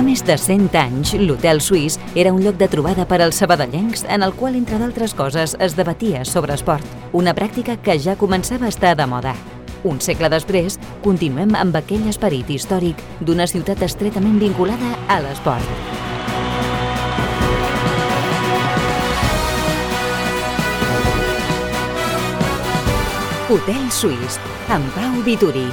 més de 100 anys, l'Hotel Suís era un lloc de trobada per als sabadellencs en el qual, entre d'altres coses, es debatia sobre esport, una pràctica que ja començava a estar de moda. Un segle després, continuem amb aquell esperit històric d'una ciutat estretament vinculada a l'esport. Hotel Suís, amb Pau Vituri.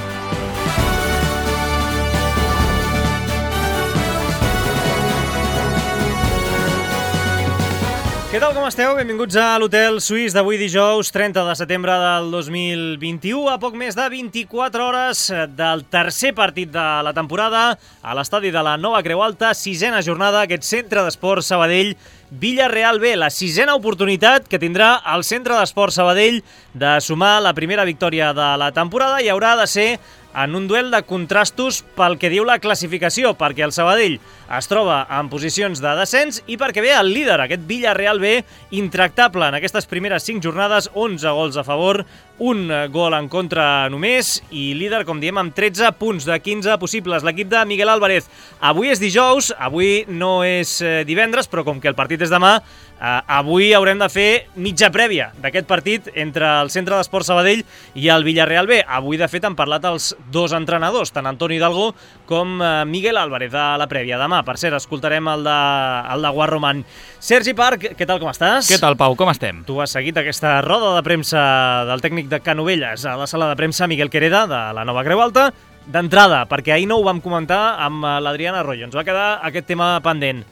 Què tal, com esteu? Benvinguts a l'Hotel Suís d'avui dijous, 30 de setembre del 2021, a poc més de 24 hores del tercer partit de la temporada a l'estadi de la Nova Creu Alta, sisena jornada, aquest centre d'esport Sabadell Villarreal B, la sisena oportunitat que tindrà el centre d'esport Sabadell de sumar la primera victòria de la temporada i haurà de ser en un duel de contrastos pel que diu la classificació, perquè el Sabadell es troba en posicions de descens i perquè ve el líder, aquest Villarreal B, intractable en aquestes primeres 5 jornades, 11 gols a favor, un gol en contra només i líder, com diem, amb 13 punts de 15 possibles. L'equip de Miguel Álvarez. Avui és dijous, avui no és divendres, però com que el partit és demà, avui haurem de fer mitja prèvia d'aquest partit entre el Centre d'Esport Sabadell i el Villarreal B. Avui, de fet, han parlat els dos entrenadors, tant Antoni Hidalgo com Miguel Álvarez, a la prèvia. Demà, per cert, escoltarem el de Guarromán. Sergi Parc, què tal, com estàs? Què tal, Pau, com estem? Tu has seguit aquesta roda de premsa del tècnic de Canovelles a la sala de premsa Miguel Quereda, de la Nova Creu Alta. D'entrada, perquè ahir no ho vam comentar amb l'Adriana Arroyo, ens va quedar aquest tema pendent.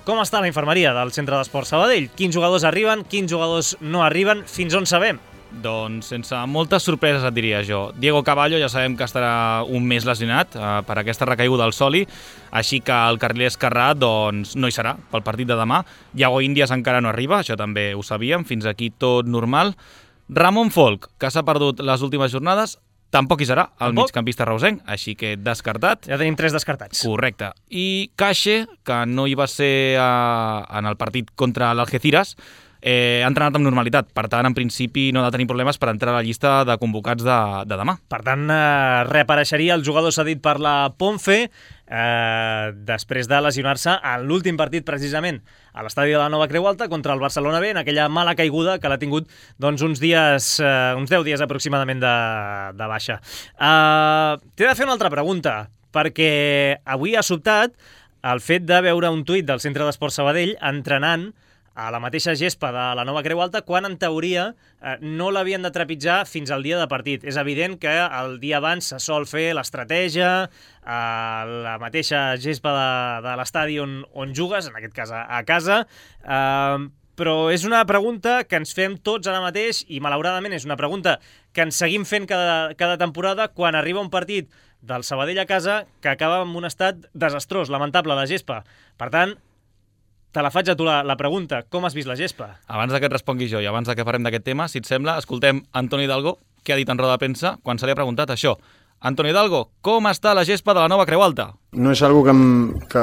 Com està la infermeria del Centre d'Esport Sabadell? Quins jugadors arriben, quins jugadors no arriben, fins on sabem? Doncs sense moltes sorpreses et diria jo. Diego Caballo ja sabem que estarà un mes lesionat per aquesta recaiguda al soli, així que el carriler esquerrà doncs, no hi serà pel partit de demà. Iago Índias encara no arriba, això també ho sabíem, fins aquí tot normal. Ramon Folk, que s'ha perdut les últimes jornades, tampoc hi serà, el migcampista reusenc, així que descartat. Ja tenim 3 descartats. Correcte. I Cache, que no hi va ser en el partit contra l'Algeciras, ha entrenat amb normalitat. Per tant, en principi, no ha de tenir problemes per entrar a la llista de convocats de demà. Per tant, reapareixeria el jugador cedit per la Ponfe després de lesionar-se en l'últim partit, precisament, a l'estadi de la Nova Creu Alta contra el Barcelona B, en aquella mala caiguda que l'ha tingut doncs, uns 10 dies aproximadament de baixa. T'he de fer una altra pregunta, perquè avui ha sobtat el fet de veure un tuit del Centre d'Esport Sabadell entrenant a la mateixa gespa de la Nova Creu Alta, quan en teoria no l'havien de trepitjar fins al dia de partit. És evident que el dia abans se sol fer l'estratègia, la mateixa gespa de l'estadi on jugues, en aquest cas a casa, però és una pregunta que ens fem tots ara mateix i malauradament és una pregunta que ens seguim fent cada temporada quan arriba un partit del Sabadell a casa que acaba en un estat desastrós, lamentable, la gespa. Per tant, te la faig a tu la pregunta. Com has vist la gespa? Abans que et respongui jo i abans que parlem d'aquest tema, si et sembla, escoltem Antoni Hidalgo, que ha dit en roda de premsa quan se li ha preguntat això. Antoni Hidalgo, com està la gespa de la Nova Creu Alta? No és algo que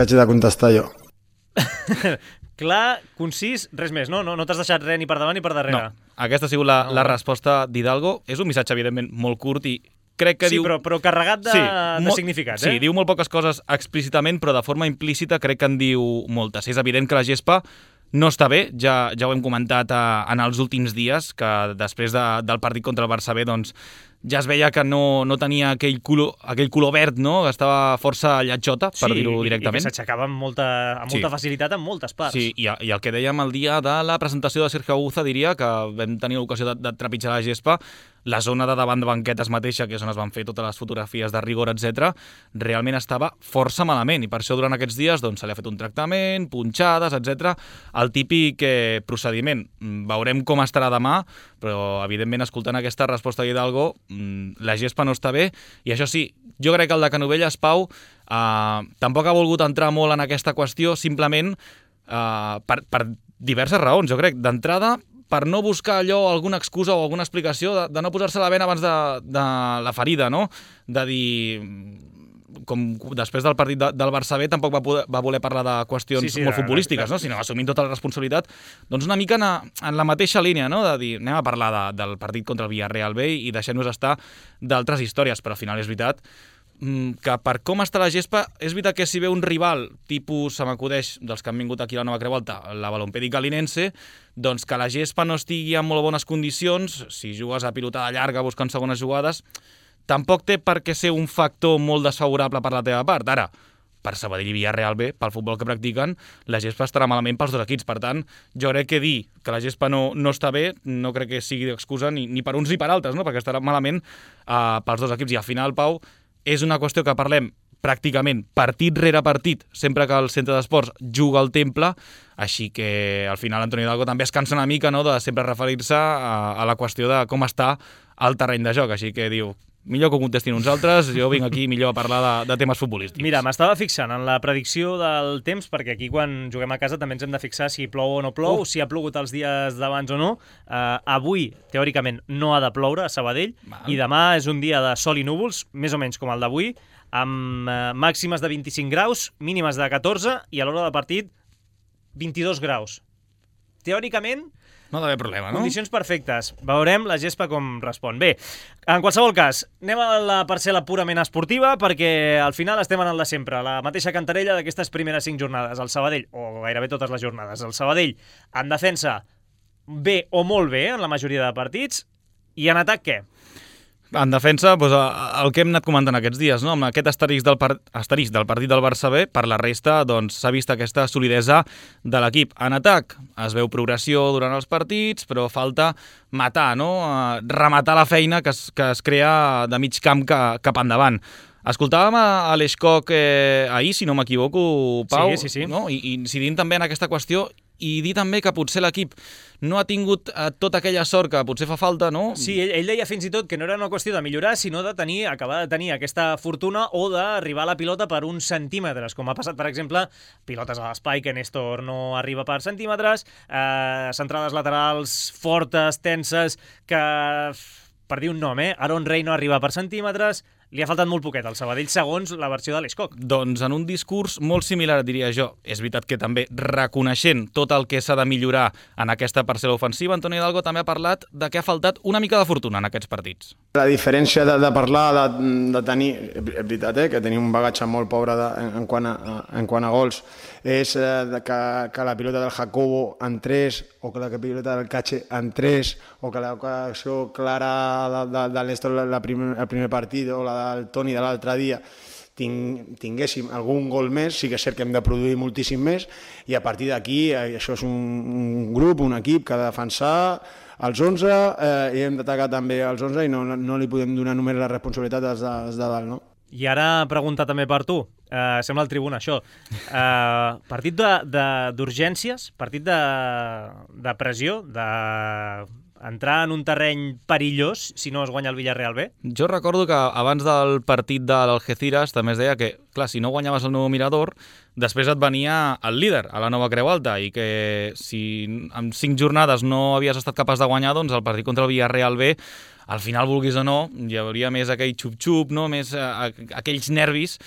haig de contestar jo. Clar, concís, res més, no? No t'has deixat res ni per davant ni per darrere. No, aquesta ha sigut la resposta d'Hidalgo. És un missatge, evidentment, molt curt i crec que sí, diu... però carregat de significats, Sí, diu molt poques coses explícitament, però de forma implícita crec que en diu moltes. És evident que la gespa no està bé, ja ho hem comentat en els últims dies, que després del partit contra el Barça B, doncs, ja es veia que no tenia aquell color verd, no? Que estava força lletjota, per dir-ho directament. I que s'aixecava amb molta facilitat en moltes parts. Sí, i el que dèiem el dia de la presentació de Sergio Aguza, diria que vam tenir l'ocasió de trepitjar la gespa, la zona de davant de banquetes mateixa, que és on es van fer totes les fotografies de rigor, etc., realment estava força malament, i per això durant aquests dies doncs, se li ha fet un tractament, punxades, etc. El típic procediment. Veurem com estarà demà, però evidentment escoltant aquesta resposta d'Hidalgo, la gespa no està bé, i això sí, jo crec que el de Canovelles, Pau, tampoc ha volgut entrar molt en aquesta qüestió, simplement per diverses raons, jo crec. D'entrada, per no buscar allò, alguna excusa o alguna explicació de no posar-se la vena abans de la ferida, no? De dir, com després del partit del Barça B tampoc va voler parlar de qüestions molt futbolístiques, no? Sinó assumint tota la responsabilitat, doncs una mica en la mateixa línia, no? De dir, anem a parlar del partit contra el Villarreal B i deixem-nos estar d'altres històries, però al final és veritat que per com està la gespa, és veritat que si ve un rival, tipus, se m'acudeix, dels que han vingut aquí a la Nova Creu Alta, la Balompèdica Linense, doncs que la gespa no estigui en molt bones condicions, si jugues a pilotada llarga buscant segones jugades, tampoc té per què ser un factor molt desfavorable per la teva part. Ara, per Sabadell i Villarreal B, pel futbol que practiquen, la gespa estarà malament pels dos equips. Per tant, jo crec que dir que la gespa no està bé no crec que sigui d'excusa ni per uns ni per altres, no? Perquè estarà malament pels dos equips. I al final, Pau, és una qüestió que parlem pràcticament partit rere partit, sempre que el centre d'esports juga al Temple, així que al final Antoni Hidalgo també es cansa una mica, no?, de sempre referir-se a la qüestió de com està el terreny de joc, així que diu, millor que ho contestin uns altres, jo vinc aquí millor a parlar de temes futbolístics. Mira, m'estava fixant en la predicció del temps, perquè aquí quan juguem a casa també ens hem de fixar si plou o no plou, si ha plogut els dies d'abans o no. Avui, teòricament, no ha de ploure a Sabadell, i demà és un dia de sol i núvols, més o menys com el d'avui, amb màximes de 25 graus, mínimes de 14, i a l'hora del partit 22 graus. Teòricament, no ha d'haver problema, no? Condicions perfectes. Veurem la gespa com respon. Bé, en qualsevol cas, anem a la parcel·la purament esportiva, perquè al final estem en el de sempre, la mateixa cantarella d'aquestes primeres 5 jornades. El Sabadell, o gairebé totes les jornades, el Sabadell en defensa bé o molt bé en la majoria de partits, i en atac què? En defensa, doncs, el que hem anat comentant aquests dies, no? Amb aquest asterisc del partit del Barça B, per la resta doncs, s'ha vist aquesta solidesa de l'equip. En atac es veu progressió durant els partits, però falta matar, no? Rematar la feina que es crea de mig camp cap endavant. Escoltàvem a l'Eixcock ahir, si no m'equivoco, Pau, sí. No? I incidint també en aquesta qüestió i dir també que potser l'equip no ha tingut tota aquella sort que potser fa falta, no? Sí, ell deia fins i tot que no era una qüestió de millorar, sinó acabar de tenir aquesta fortuna o d'arribar a la pilota per uns centímetres, com ha passat, per exemple, pilotes a l'espai, que Néstor no arriba per centímetres, centrades laterals fortes, tenses, que, per dir un nom, Aaron Rey no arriba per centímetres. Li ha faltat molt poquet al Sabadell, segons la versió de l'Eixcock. Doncs en un discurs molt similar, diria jo. És veritat que també reconeixent tot el que s'ha de millorar en aquesta parcel·la ofensiva, Antoni Hidalgo també ha parlat de que ha faltat una mica de fortuna en aquests partits. La diferència de parlar, de tenir, és veritat, que tenim un bagatge molt pobre en quant a gols, és que la pilota del Jacobo entrés, o que la pilota del Cache entrés, o que l'ocasió clara del Néstor el primer partit, o la del Toni de l'altre dia, tinguéssim algun gol més. Sí que és cert que hem de produir moltíssim més, i a partir d'aquí això és un grup, un equip que ha de defensar els 11, i hem d'atacar també els 11, i no li podem donar només la responsabilitat als de dalt, no? I ara pregunta també per tu, sembla el Tribuna això, partit d'urgències, partit de pressió, entrar en un terreny perillós si no es guanya el Villarreal B? Jo recordo que abans del partit de l'Algeciras també es deia que, clar, si no guanyaves el Nou Mirador, després et venia el líder a la Nova Creu Alta, i que si en 5 jornades no havies estat capaç de guanyar, doncs el partit contra el Villarreal B, al final, vulguis o no, hi hauria més aquell xup-xup, no? Més aquells nervis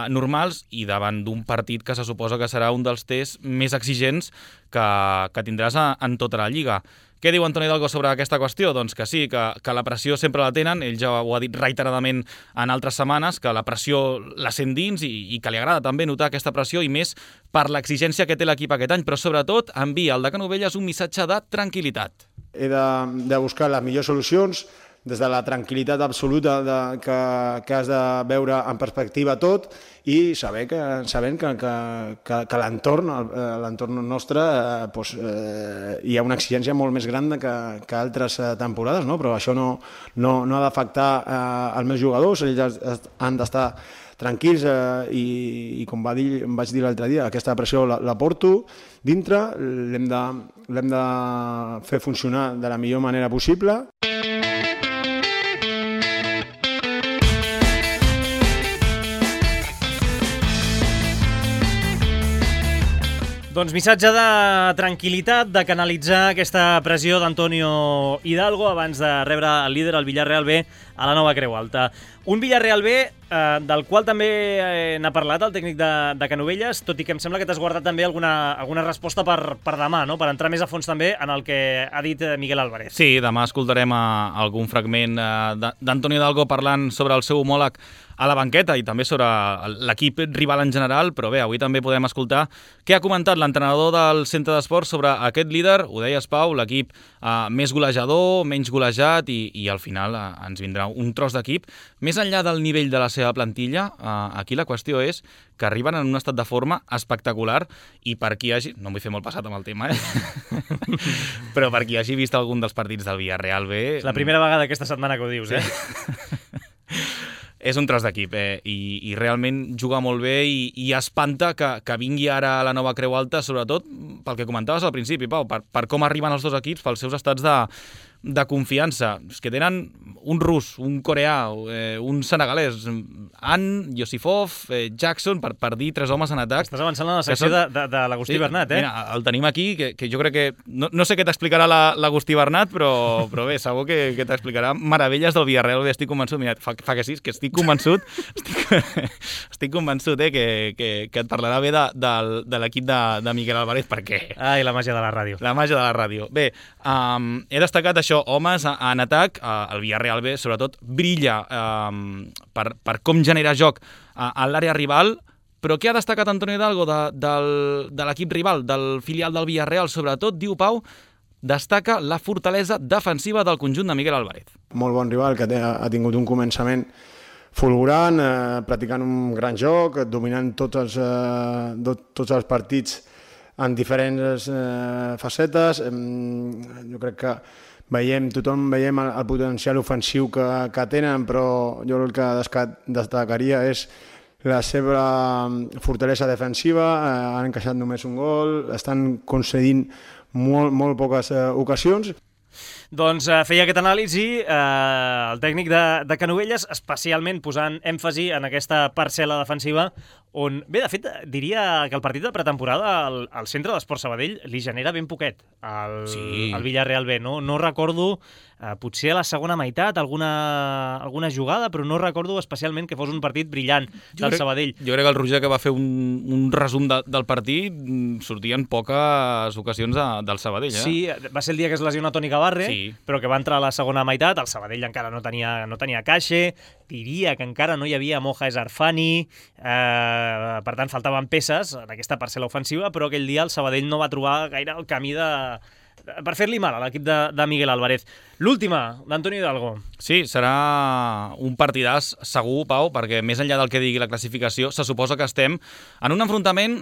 normals, i davant d'un partit que se suposa que serà un dels tests més exigents que tindràs en tota la Lliga. Què diu Antoni Hidalgo sobre aquesta qüestió? Doncs que sí, que la pressió sempre la tenen, ell ja ho ha dit reiteradament en altres setmanes, que la pressió la sent dins i que li agrada també notar aquesta pressió, i més per l'exigència que té l'equip aquest any, però sobretot envia al de Canovelles un missatge de tranquil·litat. He de buscar les millors solucions des de la tranquil·litat absoluta que has de veure en perspectiva tot, i sabent que l'entorn nostre hi ha una exigència molt més gran que altres temporades, no? Però això no ha d'afectar els meus jugadors. Ells han d'estar tranquils, i com em vaig dir l'altre dia, aquesta pressió la porto dintre, l'hem de fer funcionar de la millor manera possible. Doncs missatge de tranquil·litat, de canalitzar aquesta pressió d'Antonio Hidalgo abans de rebre el líder, el Villarreal B, a la Nova Creu Alta. Un Villarreal B del qual també n'ha parlat el tècnic de Canovelles, tot i que em sembla que t'has guardat també alguna resposta per demà, no? Per entrar més a fons també en el que ha dit Miguel Álvarez. Sí, demà escoltarem algun fragment d'Antonio Hidalgo parlant sobre el seu homòleg a la banqueta i també sobre l'equip rival en general, però bé, avui també podem escoltar què ha comentat l'entrenador del centre d'esports sobre aquest líder, ho deies Pau, l'equip més golejador, menys golejat i al final ens vindrà un tros d'equip. Més enllà del nivell de la seva plantilla, aquí la qüestió és que arriben en un estat de forma espectacular i per qui hagi... No em vull fer molt passat amb el tema, però per qui hagi vist algun dels partits del Villarreal B... És la primera vegada aquesta setmana que ho dius, És un tros d'equip i realment juga molt bé i espanta que vingui ara a la nova Creu Alta, sobretot pel que comentaves al principi, Pau, per com arriben els dos equips, pels seus estats de confiança. És que tenen un rus, un coreà, un senegalès, Yosifov, Jackson, per dir 3 homes en atac. Estàs avançant en la secció de l'Agustí Bernat, Mira, el tenim aquí, que jo crec que... No sé què t'explicarà l'Agustí Bernat, però bé, segur que t'explicarà meravelles del Villarreal. Estic convençut, mira, fa que sí, que estic convençut, estic convençut que et parlarà bé de l'equip de Miguel Álvarez, perquè... Ai, la màgia de la ràdio. La màgia de la ràdio. Bé, he destacat això, homes en atac, el Villarreal B, sobretot, brilla per com genera joc a l'àrea rival, però què ha destacat Antonio Hidalgo de l'equip rival, del filial del Villarreal, sobretot, diu Pau, destaca la fortalesa defensiva del conjunt de Miguel Álvarez. Molt bon rival, que ha tingut un començament fulgurant, practicant un gran joc, dominant tots els partits en diferents facetes. Jo crec que tothom veiem el potencial ofensiu que tenen, però jo el que destacaria és la seva fortalesa defensiva. Han encaixat només un gol, estan concedint molt poques ocasions. Doncs feia aquest anàlisi el tècnic de Canovelles, especialment posant èmfasi en aquesta parcel·la defensiva on, bé, de fet, diria que el partit de pretemporada al centre d'Esports Sabadell li genera ben poquet al Villarreal B. No recordo, potser a la segona meitat, alguna jugada, però no recordo especialment que fos un partit brillant del Sabadell. Jo crec que el Roger, que va fer un resum del partit, sortien poques ocasions del Sabadell. Sí, va ser el dia que es lesiona Toni Gavarre, però que va entrar a la segona meitat, el Sabadell encara no tenia caixe, diria que encara no hi havia Moja Esarfani, per tant faltaven peces en aquesta parcel·la ofensiva, però aquell dia el Sabadell no va trobar gaire el camí per fer-li mal a l'equip de Miguel Álvarez. L'última, d'Antonio Hidalgo. Sí, serà un partidàs segur, Pau, perquè més enllà del que digui la classificació, se suposa que estem en un enfrontament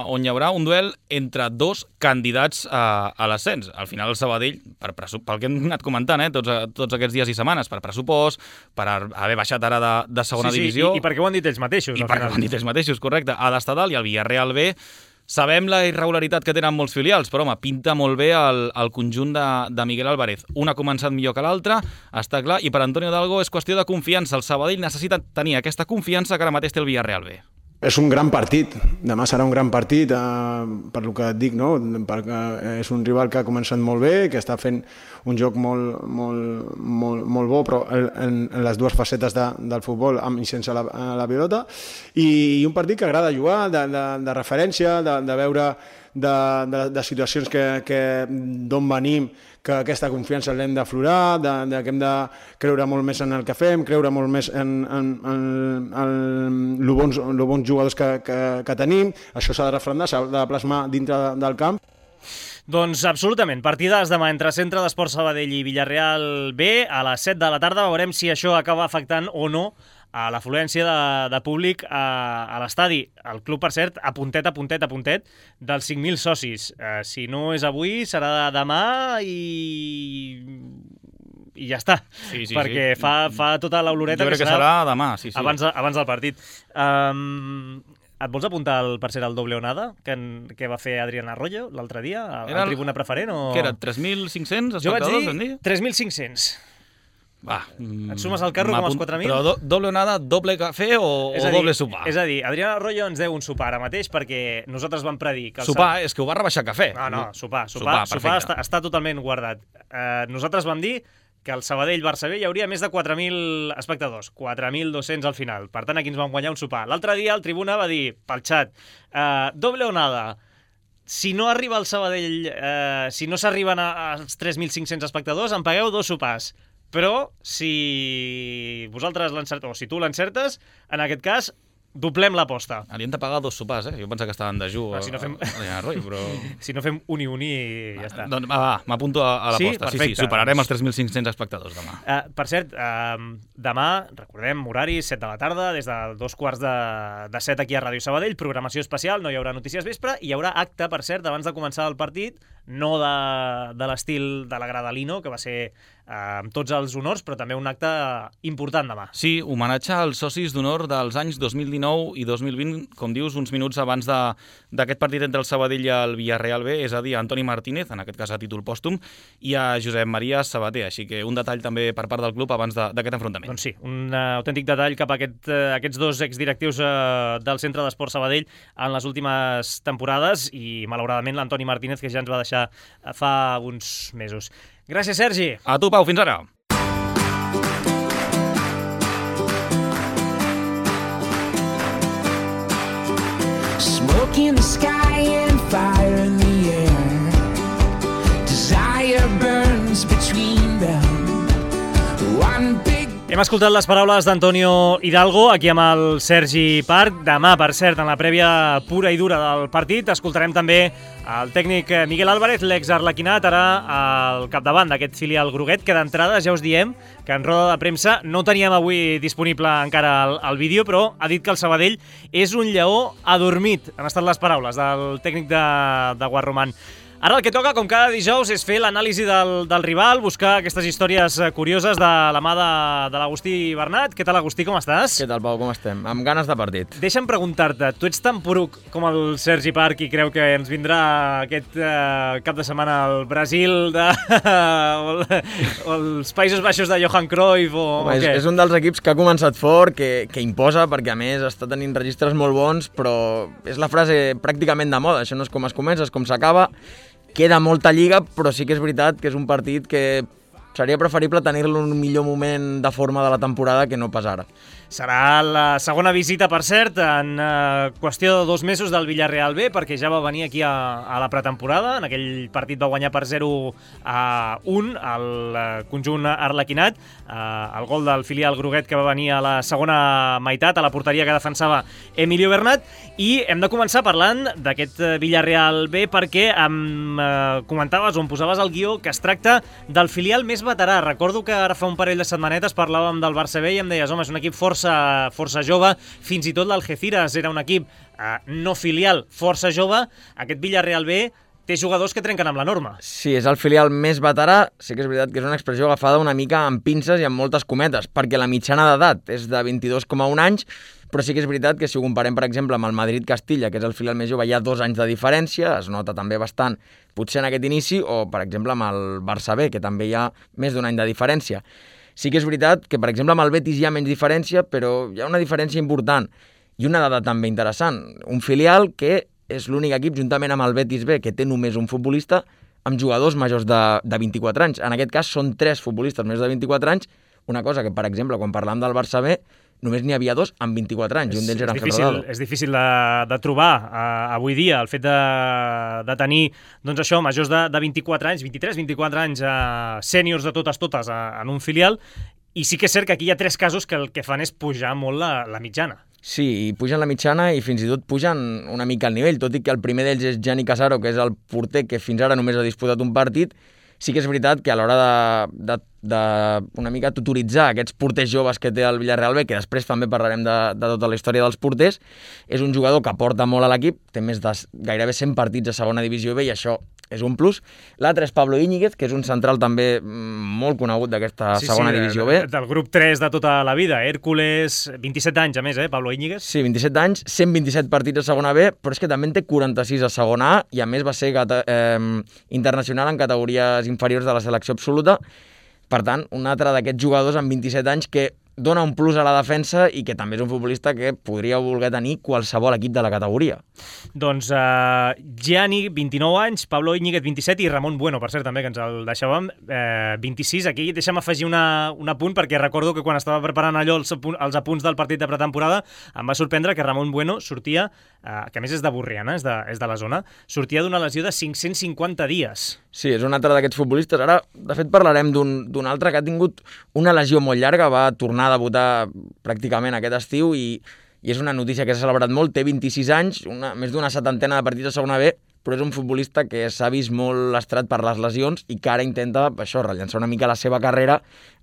on hi haurà un duel entre dos candidats a l'ascens. Al final el Sabadell, pel que hem anat comentant, tots aquests dies i setmanes, per pressupost, per haver baixat ara de segona divisió... I perquè ho han dit ells mateixos. I perquè ho han dit ells mateixos, correcte. Ha d'estar dalt, i el Villarreal B... Sabem la irregularitat que tenen molts filials, però home, pinta molt bé el conjunt de Miguel Álvarez. Un ha començat millor que l'altre, està clar, i per Antonio Hidalgo és qüestió de confiança. El Sabadell necessita tenir aquesta confiança que ara mateix té el Villarreal B. És un gran partit, demà serà un gran partit, per lo que et dic, no? Perquè és un rival que ha començat molt bé, que està fent un joc molt bo, però en les dues facetes del futbol, amb i sense la pilota, i un partit que agrada jugar, de referència, de veure de situacions d'on venim, que aquesta confiança l'hem d'aflorar, que hem de creure molt més en el que fem, creure molt més en els bons jugadors que tenim. Això s'ha de refrendar, s'ha de plasmar dintre del camp. Doncs absolutament, partidàs demà entre Centre d'Esports Sabadell i Villarreal B a les 7 de la tarda. Veurem si això acaba afectant o no a l'afluència de públic a l'estadi. El club, per cert, a puntet dels 5.000 socis. Si no és avui, serà demà i ja està, perquè fa tota l'oloreta que serà demà, abans del partit. Et vols apuntar, per ser el doble onada que va fer Adrián Arroyo l'altre dia a tribuna preferent? Què era, 3.500 espectadors? Jo vaig dir 3.500. Va, et sumes al carro com els 4.000? Però doble onada, doble cafè o doble sopar? És a dir, Adrián Arroyo ens deu un sopar ara mateix perquè nosaltres vam predir que... Sopar, és que ho va rebaixar cafè. No, sopar està totalment guardat. Nosaltres vam dir que el Sabadell-Barça B hi hauria més de 4.000 espectadors, 4.200 al final. Per tant, aquí ens vam guanyar un sopar. L'altre dia el Tribuna va dir pel xat, doble o nada, si no arriba el Sabadell, si no s'arriben als 3.500 espectadors, em pagueu 2 sopars. Però si vosaltres l'encerteu, o si tu l'encertes, en aquest cas, doblem l'aposta. Haurien de pagar 2 sopars, eh? Jo pensava que estaven de dejú. Si no fem... però... si no fem uni i ja està. Doncs m'apunto a l'aposta. Sí, superarem els 3.500 espectadors demà. Per cert, demà, recordem, horari, 7 de la tarda, des de 2:15 aquí a Ràdio Sabadell, programació especial, no hi haurà notícies vespre, hi haurà acte, per cert, abans de començar el partit, no de l'estil de la grada Lino, que va ser amb tots els honors, però també un acte important demà. Sí, homenatge als socis d'honor dels anys 2019 i 2020, com dius, uns minuts abans d'aquest partit entre el Sabadell i el Villarreal B, és a dir, a Antoni Martínez, en aquest cas a títol pòstum, i a Josep Maria Sabater, així que un detall també per part del club abans d'aquest enfrontament. Doncs sí, un autèntic detall cap a aquests 2 exdirectius del Centre d'Esport Sabadell en les últimes temporades i, malauradament, l'Antoni Martínez, que ja ens va deixar fa uns mesos. Gràcies, Sergi. A tu, Pau, fins ara. Smoke in the sky and fire in the air. Desire burns between them. One big... Hem escoltat les paraules d'Antonio Hidalgo, aquí amb el Sergi Parc. Demà, per cert, en la prèvia pura i dura del partit, escoltarem també el tècnic Miguel Álvarez, l'ex-arlequinat, ara al capdavant d'aquest filial groguet, que d'entrada ja us diem que en roda de premsa no teníem avui disponible encara el vídeo, però ha dit que el Sabadell és un lleó adormit. Han estat les paraules del tècnic de Guarromán. Ara el que toca, com cada dijous, és fer l'anàlisi del rival, buscar aquestes històries curioses de la mà de l'Agustí Bernat. Què tal, Agustí, com estàs? Què tal, Pau, com estem? Amb ganes de partit. Deixa'm preguntar-te, tu ets tan poruc com el Sergi Parc i creu que ens vindrà aquest cap de setmana al Brasil o els Països Baixos de Johan Cruyff o què? És un dels equips que ha començat fort, que imposa, perquè a més està tenint registres molt bons, però és la frase pràcticament de moda. Això no és com es comença, és com s'acaba. Queda molta lliga, però sí que és veritat que és un partit que seria preferible tenir-lo en un millor moment de forma de la temporada que no pas ara. Serà la segona visita, per cert, en qüestió de 2 mesos del Villarreal B, perquè ja va venir aquí a la pretemporada. En aquell partit va guanyar per 0-1 el conjunt arlequinat. El gol del filial groguet que va venir a la segona meitat, a la porteria que defensava Emilio Bernat. I hem de començar parlant d'aquest Villarreal B perquè em comentaves o em posaves al guió que es tracta del filial més veterà. Recordo que ara fa un parell de setmanetes parlàvem del Barça B i em deies, home, és un equip força jove, fins i tot l'Algeciras era un equip no filial, força jove. Aquest Villarreal B té jugadors que trenquen amb la norma. Sí, és el filial més veterà, sí que és veritat que és una expressió agafada una mica amb pinces i amb moltes cometes, perquè la mitjana d'edat és de 22,1 anys, però sí que és veritat que si ho comparem, per exemple, amb el Madrid-Castilla, que és el filial més jove, hi ha 2 anys de diferència, es nota també bastant, potser en aquest inici, o, per exemple, amb el Barça B, que també hi ha més d'1 any de diferència. Sí que és veritat que, per exemple, amb el Betis hi ha menys diferència, però hi ha una diferència important i una dada també interessant. Un filial que és l'únic equip, juntament amb el Betis B, que té només un futbolista amb jugadors majors de 24 anys. En aquest cas són 3 futbolistes més de 24 anys, una cosa que, per exemple, quan parlàvem del Barça B, només n'hi havia 2 amb 24 anys, i un d'ells era Ángel Rodado. És difícil de trobar avui dia, el fet de tenir, doncs això, majors de 24 anys, 23-24 anys, sèniors de totes en un filial, i sí que és cert que aquí hi ha 3 casos que el que fan és pujar molt la mitjana. Sí, i pugen la mitjana i fins i tot pugen una mica el nivell, tot i que el primer d'ells és Gianni Casaro, que és el porter que fins ara només ha disputat un partit. Sí que és veritat que a l'hora de una mica tutoritzar aquests porters joves que té el Villarreal B, que després també parlarem de tota la història dels porters, és un jugador que aporta molt a l'equip, té més de gairebé 100 partits a segona divisió B i això és un plus. L'altre és Pablo Íñiguez, que és un central també molt conegut d'aquesta segona divisió B. Del grup 3 de tota la vida, Hércules, 27 anys a més, Pablo Íñiguez. Sí, 27 anys, 127 partits a segona B, però és que també en té 46 a segona A i a més va ser internacional en categories inferiors de la selecció absoluta. Per tant, un altre d'aquests jugadors amb 27 anys que dona un plus a la defensa i que també és un futbolista que podria voler tenir qualsevol equip de la categoria. Doncs Gianni, 29 anys, Pablo Íñiguez, 27, i Ramon Bueno, per cert, també, que ens el deixàvem, 26. Aquí deixa'm afegir un apunt, perquè recordo que quan estava preparant allò els apunts del partit de pretemporada em va sorprendre que Ramon Bueno sortia, que a més és de Borriana, és de la zona, sortia d'una lesió de 550 dies. Sí, és un altre d'aquests futbolistes. Ara, de fet, parlarem d'un altre que ha tingut una lesió molt llarga, va tornar a debutar pràcticament aquest estiu i és una notícia que s'ha celebrat molt. Té 26 anys, més d'una setantena de partits a segona B, però és un futbolista que s'ha vist molt lastrat per les lesions i que ara intenta rellançar una mica la seva carrera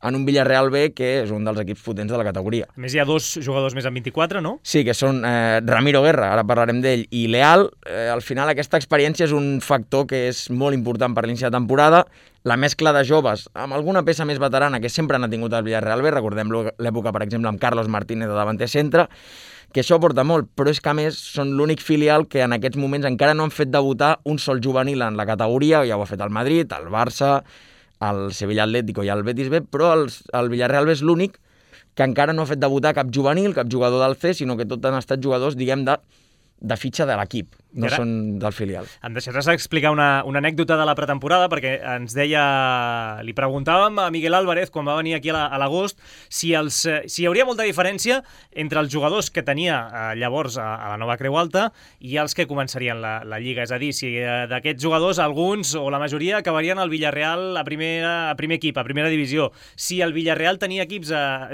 en un Villarreal B, que és un dels equips potents de la categoria. A més, hi ha 2 jugadors més amb 24, no? Sí, que són Ramiro Guerra, ara parlarem d'ell, i Leal. Al final, aquesta experiència és un factor que és molt important per l'inici de temporada. La mescla de joves, amb alguna peça més veterana que sempre n'ha tingut el Villarreal B, recordem l'època, per exemple, amb Carlos Martínez de davanter centre, que això porta molt, però és que a més són l'únic filial que en aquests moments encara no han fet debutar un sol juvenil en la categoria. Ja ho ha fet el Madrid, el Barça, el Sevilla Atlético i el Betis B, però el Villarreal B és l'únic que encara no ha fet debutar cap juvenil, cap jugador del C, sinó que tot han estat jugadors, diguem, de fitxa de l'equip, no són del filial. Em deixaràs explicar una anècdota de la pretemporada, perquè ens deia, li preguntàvem a Miguel Álvarez quan va venir aquí a l'agost si hi hauria molta diferència entre els jugadors que tenia llavors a la nova Creu Alta i els que començarien la Lliga. És a dir, si d'aquests jugadors alguns o la majoria acabarien al Villarreal a primer equip, a primera divisió. Si el Villarreal tenia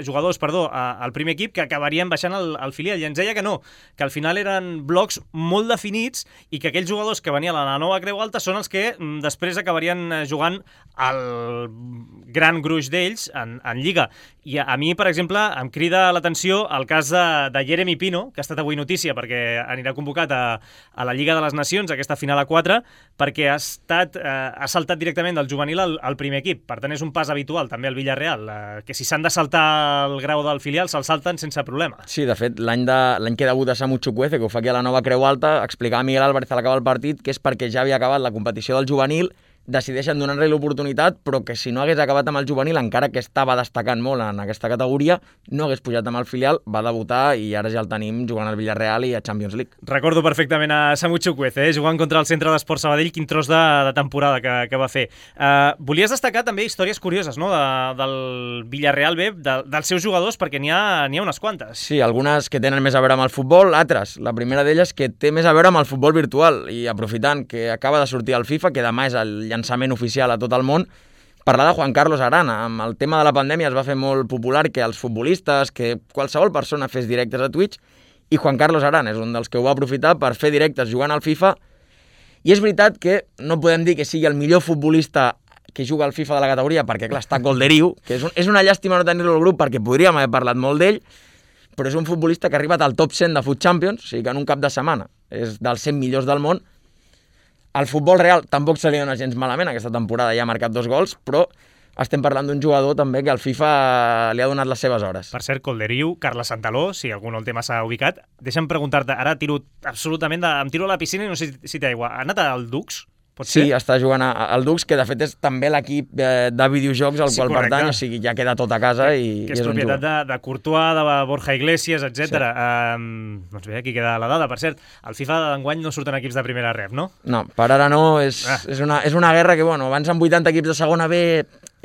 jugadors al primer equip que acabarien baixant al filial. I ens deia que no, que al final eren blocs molt definits i que aquells jugadors que venien a la nova Creu Alta són els que després acabarien jugant el gran gruix d'ells en Lliga. I a mi, per exemple, em crida l'atenció el cas de Jeremy Pino, que ha estat avui notícia perquè anirà convocat a la Lliga de les Nacions, aquesta final a 4, perquè ha saltat directament del juvenil al primer equip. Per tant, és un pas habitual també al Villarreal, que si s'han de saltar el grau del filial, se'l salten sense problema. Sí, de fet, l'any que debuta Samu Chukwueze, que ho fa aquí a la nova Creu Alta, explicava Miguel Álvarez a l'acabar el partit que és perquè ja havia acabat la competició del juvenil, decideixen donar-li l'oportunitat, però que si no hagués acabat amb el juvenil, encara que estava destacant molt en aquesta categoria, no hagués pujat amb el filial, va debutar i ara ja el tenim jugant al Villarreal i a Champions League. Recordo perfectament a Samu Chukwueze, jugant contra el Centre d'Esport Sabadell, quin tros de temporada que va fer. Volies destacar també històries curioses, no?, del Villarreal B, dels seus jugadors, perquè n'hi ha unes quantes. Sí, algunes que tenen més a veure amb el futbol, altres. La primera d'elles que té més a veure amb el futbol virtual, i aprofitant que acaba de sortir el FIFA, que demà és el llançament oficial a tot el món, parlar de Juan Carlos Arana. Amb el tema de la pandèmia es va fer molt popular que els futbolistes, que qualsevol persona fes directes a Twitch, i Juan Carlos Arana és un dels que ho va aprofitar per fer directes jugant al FIFA. I és veritat que no podem dir que sigui el millor futbolista que juga al FIFA de la categoria, perquè clar, està Golderiu, que és una llàstima no tenir-lo al grup perquè podríem haver parlat molt d'ell, però és un futbolista que ha arribat al top 100 de Foot Champions, o sigui que en un cap de setmana és dels 100 millors del món. Al futbol real tampoc se li dona gens malament, aquesta temporada ja ha marcat 2 gols, però estem parlant d'un jugador també que al FIFA li ha donat les seves hores. Per cert, Colderiu, Carles Santaló, si algú no el té massa ubicat, deixa'm preguntar-te, ara tiro absolutament, em tiro a la piscina i no sé si té aigua. Ha anat al Dux? Sí, està jugant al Dux, que de fet és també l'equip de videojocs al qual pertany, o sigui, ja queda tot a casa i és propietat de Courtois, de Borja Iglesias, etc. Sí. Doncs bé, aquí queda la dada. Per cert, al FIFA d'enguany no surten equips de primera ref, no? No, per ara no. És una guerra que, bueno, abans amb 80 equips de segona B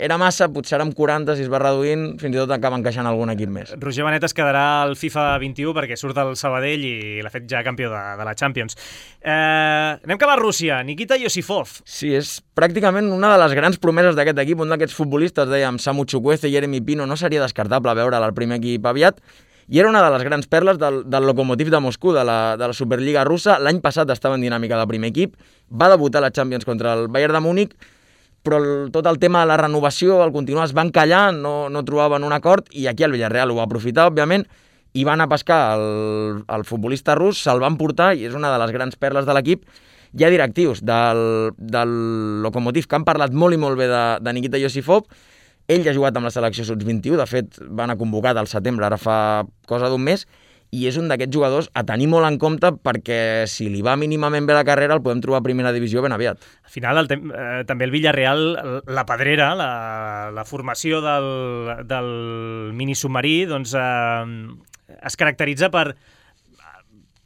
era massa, potser ara amb 40, si es va reduint, fins i tot acaba encaixant algun equip més. Roger Benet es quedarà al FIFA 21 perquè surt el Sabadell i l'ha fet ja campió de la Champions. Anem cap a Rússia. Nikita Yosifov. Sí, és pràcticament una de les grans promeses d'aquest equip, un d'aquests futbolistes, dèiem, Samu Chukwueze i Jeremy Pino, no seria descartable veure'l al primer equip aviat, i era una de les grans perles del Lokomotiv de Moscou, de la Superliga russa. L'any passat estava en dinàmica de primer equip, va debutar a la Champions contra el Bayern de Múnich, però tot el tema de la renovació, el continuar, es van callar, no trobaven un acord, i aquí el Villarreal ho va aprofitar, òbviament, i van a pescar el futbolista rus, se'l van portar, i és una de les grans perles de l'equip. Hi ha directius del Lokomotiv que han parlat molt i molt bé de Nikita Yosifov. Ell ja ha jugat amb la selecció sub-21, de fet van a convocat al setembre, ara fa cosa d'un mes, i és un d'aquests jugadors a tenir molt en compte perquè si li va mínimament bé la carrera el podem trobar a primera divisió ben aviat. Al final, també el Villarreal, la pedrera, la formació del minisubmarí, doncs, es caracteritza per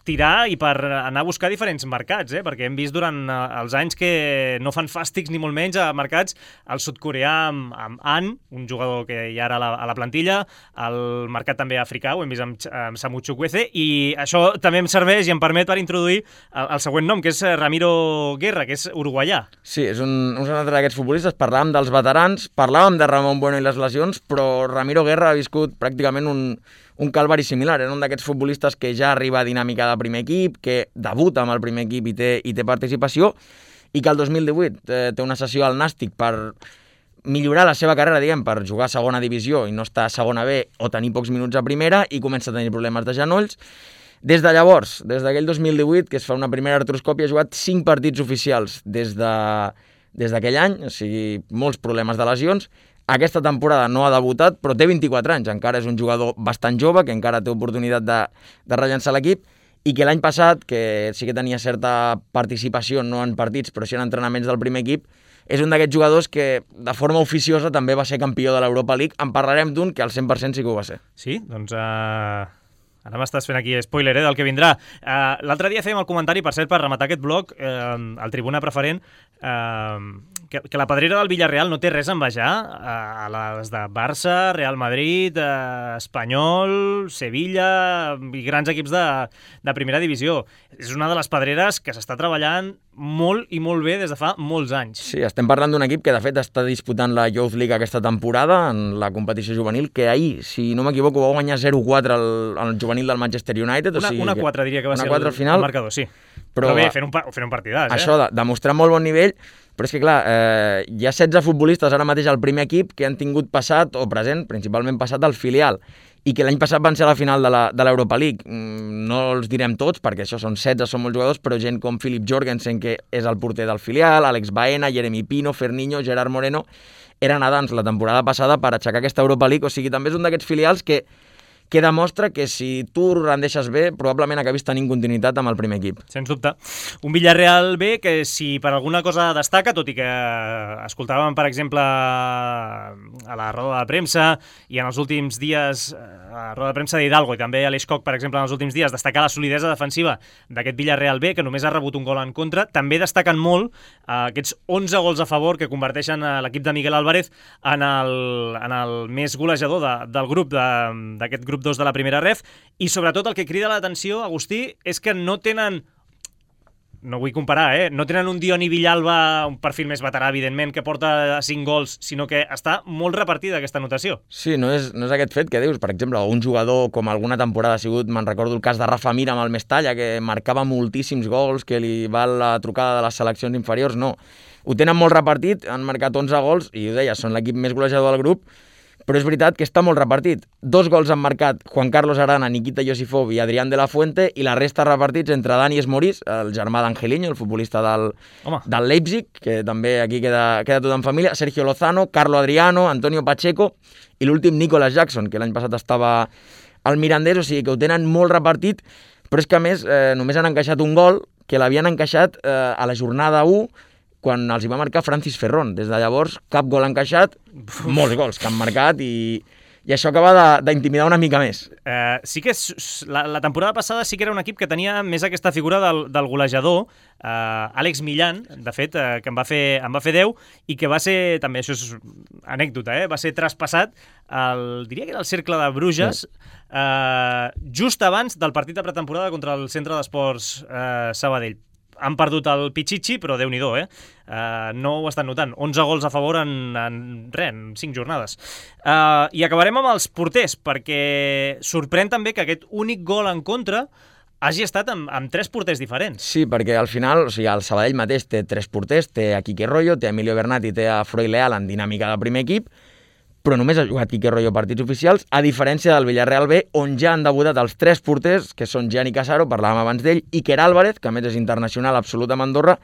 tirar i per anar a buscar diferents mercats, perquè hem vist durant els anys que no fan fàstics ni molt menys a mercats el sud-coreà amb An, un jugador que hi ha ara a la plantilla, el mercat també africà, ho hem vist amb Samu Chukwueze, i això també em serveix i em permet per introduir el següent nom, que és Ramiro Guerra, que és uruguaià. Sí, és un altre d'aquests futbolistes. Parlàvem dels veterans, parlàvem de Ramon Bueno i les lesions, però Ramiro Guerra ha viscut pràcticament un calvari similar. Era un d'aquests futbolistes que ja arriba a dinàmica de primer equip, que debuta amb el primer equip i té participació, i que el 2018 té una sessió al Nàstic per millorar la seva carrera, per jugar a segona divisió i no estar a segona B o tenir pocs minuts a primera, i comença a tenir problemes de genolls. Des de llavors, des d'aquell 2018, que es fa una primera artroscòpia, ha jugat 5 partits oficials des d'aquell any, o sigui, molts problemes de lesions. Aquesta temporada no ha debutat, però té 24 anys, encara és un jugador bastant jove, que encara té oportunitat de rellançar l'equip, i que l'any passat, que sí que tenia certa participació, no en partits, però sí en entrenaments del primer equip, és un d'aquests jugadors que de forma oficiosa també va ser campió de l'Europa League. En parlarem d'un que al 100% sí que ho va ser. Sí? Doncs ara m'estàs fent aquí spoiler del que vindrà. L'altre dia fèiem el comentari, per cert, per rematar aquest bloc, el Tribuna Preferent, que la pedrera del Villarreal no té res a envejar a les de Barça, Real Madrid, Espanyol, Sevilla i grans equips de primera divisió. És una de les pedreres que s'està treballant molt i molt bé des de fa molts anys. Sí, estem parlant d'un equip que de fet està disputant la Youth League aquesta temporada en la competició juvenil, que ahir, si no m'equivoco, va guanyar 0-4 el juvenil del Manchester United. Una 4 diria que va ser el marcador, sí. Però bé, fent un partidàs. Això, demostrar molt bon nivell, però és que clar, hi ha 16 futbolistes ara mateix al primer equip que han tingut passat o present, principalment passat al filial, i que l'any passat van ser a la final de l'Europa League. No els direm tots, perquè això són 16, són molts jugadors, però gent com Philip Jorgensen, que és el porter del filial, Alex Baena, Jeremy Pino, Ferniño, Gerard Moreno, eren adans la temporada passada per aixecar aquesta Europa League. O sigui, també és un d'aquests filials que demostra que si tu rendeixes bé, probablement acabis tenint continuïtat amb el primer equip. Sens dubte. Un Villarreal B que, si per alguna cosa destaca, tot i que escoltàvem, per exemple, a la roda de premsa i en els últims dies, a la roda de premsa d'Hidalgo i també a l'Escoc, per exemple, en els últims dies, destacar la solidesa defensiva d'aquest Villarreal B, que només ha rebut un gol en contra. També destaquen molt aquests 11 gols a favor que converteixen l'equip de Miguel Álvarez en el més golejador del grup, d'aquest grup 2 de la primera ref, i sobretot el que crida l'atenció, Agustí, és que no tenen, no vull comparar, no tenen un Dioni Villalba, un perfil més veterà, evidentment, que porta 5 gols, sinó que està molt repartida aquesta anotació. Sí, no és aquest fet que dius, per exemple, un jugador com alguna temporada ha sigut, me'n recordo el cas de Rafa Mir amb el Mestalla, que marcava moltíssims gols, que li val la trucada de les seleccions inferiors, no. Ho tenen molt repartit, han marcat 11 gols, i ho deia, són l'equip més golejador del grup, però és veritat que està molt repartit. 2 gols han marcat Juan Carlos Arana, Nikita Yosifov i Adrián de la Fuente, i la resta repartits entre Dani Esmorís, el germà d'Angelino, el futbolista del Leipzig, que també aquí queda tot en família, Sergio Lozano, Carlo Adriano, Antonio Pacheco i l'últim Nicolas Jackson, que l'any passat estava al Mirandés, o sigui que ho tenen molt repartit, però és que a més només han encaixat un gol, que l'havien encaixat a la jornada 1, quan els hi va marcar Francis Ferrón. Des de llavors, cap gol encaixat, molts gols que han marcat, i això acaba d'intimidar una mica més. Sí que la temporada passada sí que era un equip que tenia més aquesta figura del golejador, Àlex Millán, de fet, que em va fer 10, i que va ser, també això és anècdota, va ser traspassat, diria que era el Cercle de Bruges, just abans del partit de pretemporada contra el Centre d'Esports Sabadell. Han perdut el Pichichi, però Déu-n'hi-do, no ho estan notant. 11 gols a favor en 5 jornades. I acabarem amb els porters, perquè sorprèn també que aquest únic gol en contra hagi estat amb 3 porters diferents. Sí, perquè al final, o sigui, el Sabadell mateix té 3 porters, té a Quique Royo, té a Emilio Bernat i té a Freud Leal en dinàmica del primer equip, però només ha jugat Quique Royo partits oficials, a diferència del Villarreal B, on ja han debutat els 3 porters, que són Gianni Casaro, parlàvem abans d'ell, Iker Álvarez, que a més és internacional absolut amb Andorra,